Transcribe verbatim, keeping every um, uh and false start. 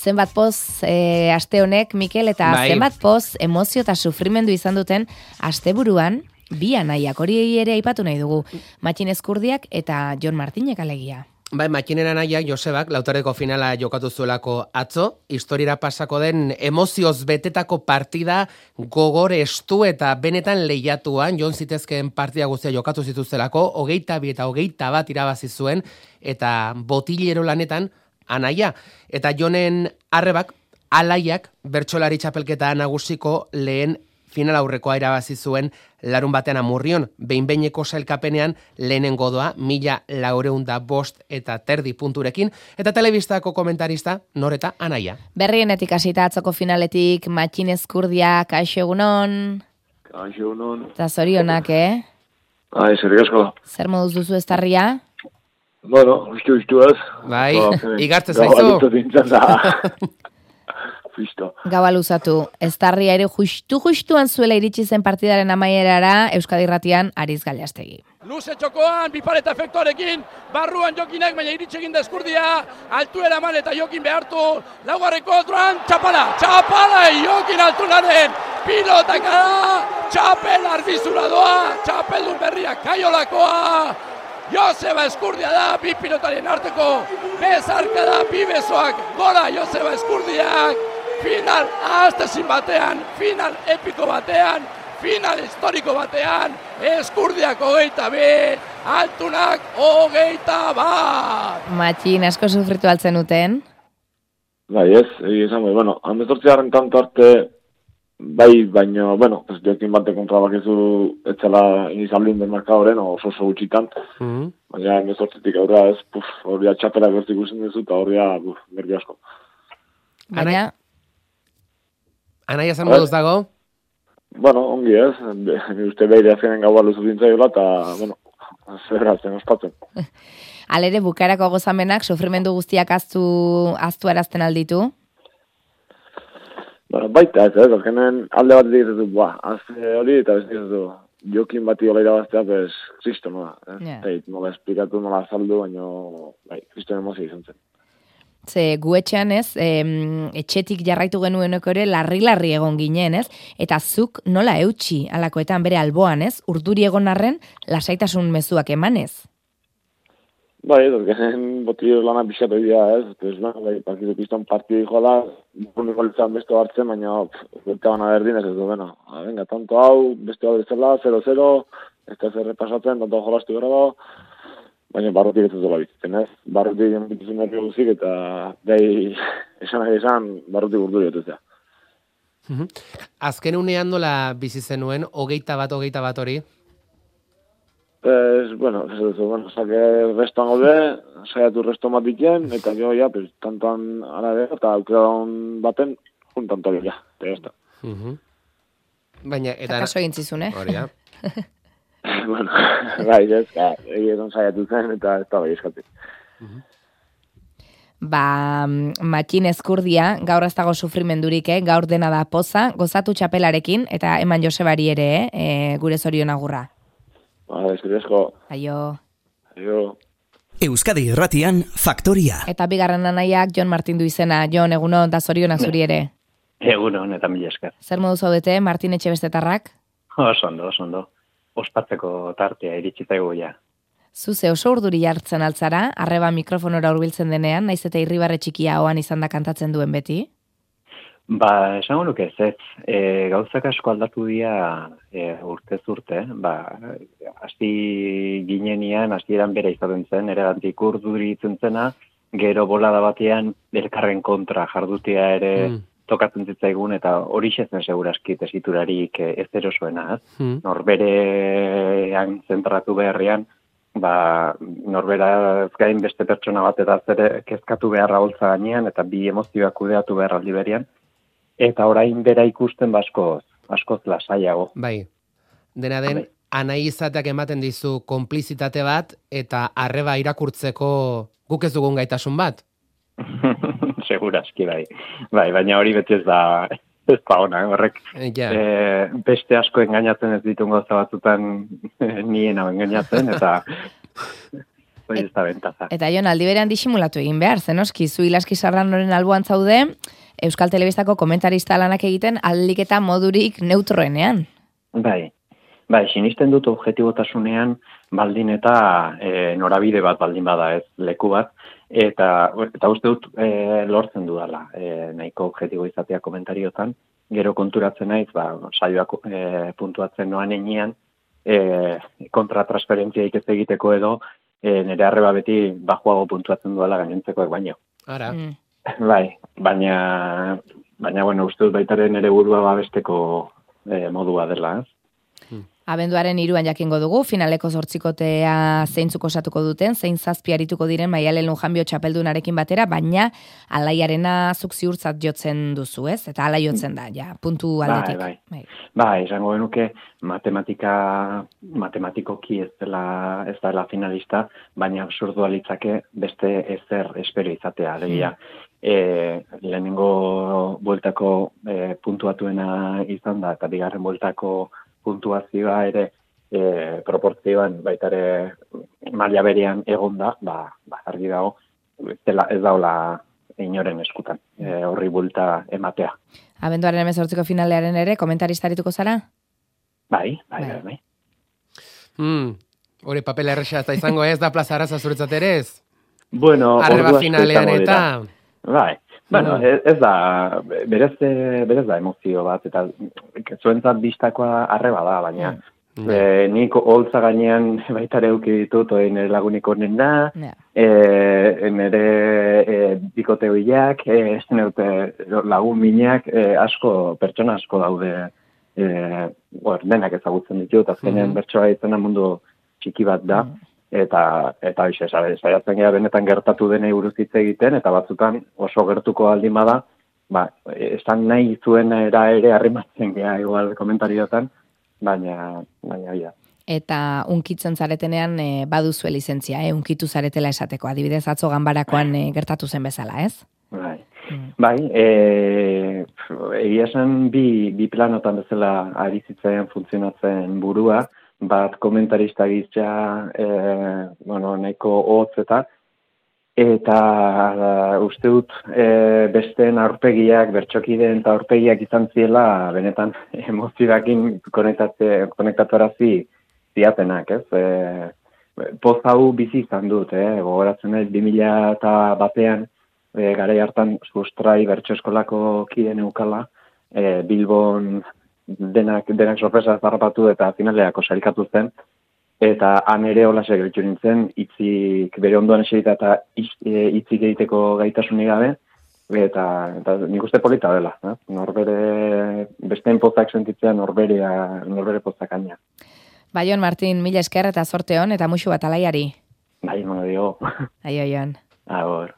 zenbat poz e, aste honek, Mikel, eta bai. zenbat poz emozio eta sufrimendu izan duten asteburuan bi anaiak, hori ere aipatu nahi dugu. Matxin Ezkurdiak eta Jon Martinek alegia. Bai, Matxinen anaiak Josebak lautareko finala jokatu zuelako atzo, historiara pasako den emozioz betetako partida gogor estu eta benetan lehiatuan, Jon zitezkeen partida guztia jokatu zituzelako, hogeita bi eta hogeita bat irabazi zuen, eta botilero lanetan anaia. Eta Jonen arrebak, alaiak, bertsolari txapelketa nagusiko lehen final aurrekoa irabazi zuen larun batean Amurrion, behin-behineko sailkapenean lehenengo doa, mila laureunda bost eta terdi punturekin, eta telebistako komentarista Noreta anaia. Berrienetik hasita atzoko finaletik Matxin Ezkurdia, kaixo egunon. Kaixo egunon. Eta zorionak, eh? Ai, zerrik asko. Zer moduz duzu eztarria? Bueno, ustu ustu ez. Bai, igartze zaizu. Gabalito dintzen da. Fisto. Gaua luzatu, eztarria ere justu-justuan zuela iritsi zen partidaren amaierara Euskadi Irratian Ariz Galiastegi. Luze txokoan, bipareta efektuarekin, barruan jokinak, baina iritsi egin da Ezkurdia, altuera eman eta jokin behartu, laugarreko otruan, txapala, txapala, jokin altunaren, pilotaka da, txapel arbizura doa, txapeldun berriak kaiolakoa, Joseba Ezkurdia da, bi pilotarien arteko, bezarka da, bi besoak, gora Joseba Ezkurdiak, final ahaztezin batean, final epiko batean, final historiko batean, Ezkurdiak hogeita be, altunak hogeita bat. Matxin, asko sufritu altzen uten? Bai, ez, egi esan, bai, bueno, hamezortziaren tanto arte, bai, baina, bueno, pues jokin bate kontra bakizu etxala inizaldin den markadoren, oso oso gutxitan, mm-hmm. Baina hamezortzitik aurra ez, puf, horria txapela gertik usen dizu, eta horria, puf, nervi asko. Baina? Anaia zen moduz dago? Bueno, ongi ez, ni uste behire azkenen gaua luzu dintzaiola, eta, bueno, zerratzen ospatzen. Alere, bukarako gozamenak, sufrimendu guztiak aztu, aztu arazten alditu? Bueno, baita ez, ez, azkenen alde bat ditu, buah, azte hori, eta ez ditu, jokin bati hola irabaztea, pues, kristo, nola, ez, yeah. Eit, nola esplikatu, nola azaldu, baina, bai, kristo emozio izan zen. Ze gu etxean ez, em, etxetik jarraitu genueneko ere larri-larri egon ginen, ez? Eta zuk nola eutxi alakoetan bere alboan, ez? Urduri egon arren, lasaitasun mezuak emanez? Bai, ez, genen botillo lana pixatu idea, ez? Ez, bai, partidu piston partidu joala, uniko litzan besto hartzen, baina, berka bana berdin ez ez du, bueno, venga, tanto hau, besto hau bezala, zero zero, ez da zer repasatzen, tanto jolastu gara da, baina barrutik ez dut bizitzen, ez? Barrutik enbitizun nervio guzik, eta gai esan nahi esan, barrutik urduri dutuzea. Azken unean nola bizi zenuen, hogeita bat, hogeita bat hori? Pues, bueno, ez dut, bueno, sake restoan gaude, saiatu resto matitien, eta jo, ja, pues, tantoan arabe, eta aukera baten, juntan toli, ja, eta jazta. Baina, eta... Kaso egin zizun, eh? Hori, ja. Bueno, bai, ez, egin saiatu zen, eta ez da bai eskatik. Ba, Matxin Ezkurdia, gaur ez dago sufrimendurik, eh? Gaur dena da poza, gozatu txapelarekin, eta eman Josebari ere, eh? E, gure zorion agurra. Ba, eskeriesko. Aio. Aio. Euskadi Irratian, Faktoria. Eta bigarren anaiak Jon Martin du izena. Jon, egunon, da zorionak zuri ere. Egunon, eta mila esker. Zer modu zaudete, Martin Etxebestetarrak? Oso ondo, oso ondo. Ospatzeko tartea iritsitaigu ja. Zuze oso urduri jartzen altzara, arreba mikrofonora hurbiltzen denean, naiz eta irribarre txikia hoan izan da kantatzen duen beti? Ba, esango nuke ez ez, e, gauzak asko aldatu dira e, urtez urte, ba, hasti ginenian, hastieran bere izaten zen, ere gantik urduri itzen zena, gero bolada batean, elkarren kontra jardutia ere mm. tokatzen zitzaigun, eta hori zen seguraski tesiturarik ez erosoena, mm. norberean zentratu beharrean, ba, norbera gain beste pertsona bat eta zere kezkatu beharra holtza gainean, eta bi emozioak kudeatu behar aldi berian, eta orain bera ikusten baskoz, askoz lasaiago. Bai, dena den, anai izateak ematen dizu konplizitate bat, eta arreba irakurtzeko guk ez dugun gaitasun bat. Seguraski, bai. Bai, baina hori beti ez da, ez da ona, horrek. Ja. E, beste asko engainatzen ez ditun gauza batzutan nien hau engainatzen, eta hori ez da bentaza. Eta Jon, aldi berean disimulatu egin behar, zenoski, zu Ilaski Sarranoren alboan zaude, Euskal Telebistako komentarista lanak egiten aldik eta modurik neutroenean. Bai, bai, sinisten dut objetibotasunean baldin eta e, norabide bat baldin bada ez leku bat, eta, eta uste dut e, lortzen dudala e, nahiko objetibo izatea komentariotan, gero konturatzen naiz, ba, saioak e, puntuatzen noan enean, e, kontratransferentziaik ez egiteko edo, e, nire arreba beti bajuago puntuatzen duela gainentzekoek baino. Ara. Mm. Bai, baina, baina, bueno, uste dut baitaren ere burua babesteko e, modua dela, ez? Abenduaren hiruan jakingo dugu, finaleko zortzikotea zeintzuk osatuko duten, zein zazpi arituko diren Maialen Lujanbio txapeldunarekin batera, baina alaiarena zuk ziurtzat jotzen duzu, ez? Eta ala jotzen da, ja, puntu aldetik. Bai, bai. Bai, esango genuke matematika, matematikoki ez dela, ez dela finalista, baina absurdua litzake beste ezer espero izatea, alegia. E, lehenengo bueltako e, puntuatuena izan da, eta bigarren bueltako puntuazioa ere e, proportzioan baitare maila berean egon da, ba, ba argi dago, ez, dela, ez daula inoren eskutan, e, horri bulta ematea. Abenduaren hemezortziko finalearen ere, komentarista arituko zara? Bai, bai, bai. bai. Hmm, hori papel erresa ez da izango ez da Plaza Arraza zuretzat ere ez? Bueno, arreba finalean eta... Bai, bueno, ez, ez da, berez, berez da emozio bat, eta zuentzat bistakoa arreba da, baina mm. e, nik holtza gainean baitare euki ditut, oin nire lagunik honen da, yeah. e, nire e, bikote hoiak, e, lagun minak, e, asko, pertsona asko daude, e, or, denak ezagutzen ditut, azkenean mm. bertsoa izena mundu txiki bat da, mm. Eta, eta bixe, saiatzen gara benetan gertatu denei buruz hitz egiten, eta batzutan oso gertuko aldin bada, ba, esan nahi zuen era ere arrimatzen gara igual komentariotan, baina, baina, ja. Eta unkitzen zaretenean e, baduzue lizentzia, eh? Unkitu zaretela esateko, adibidez atzo ganbarakoan e, gertatu zen bezala, ez? Bai, mm. bai, e, egia esan bi, bi planotan bezala ari zitzaian funtzionatzen burua, bat komentarista gizia, e, bueno, nahiko hotz eta, eta uh, uste dut e, besteen aurpegiak, bertxokideen eta aurpegiak izan ziela, benetan emozioakin konektatu arazi ziatenak, ez? E, poz hau bizi izan dut, eh? Gogoratzen ez, bi mila eta batean, e, garai hartan sustrai bertso eskolako kiden eukala, e, Bilbon, denak, denak sorpresa zarrapatu eta finaleako sarikatu zen, eta han ere hola segeritu nintzen, itzik bere ondoan eserita eta itzik egiteko gaitasunik gabe, eta, eta nik uste polita dela, eh? Norbere, besteen pozak sentitzea norberea, norbere pozak aina. Bai, Jon Martin, mila esker eta zorte hon, eta musu bat alaiari. Bai, mono dio. Aio, Jon. Agor.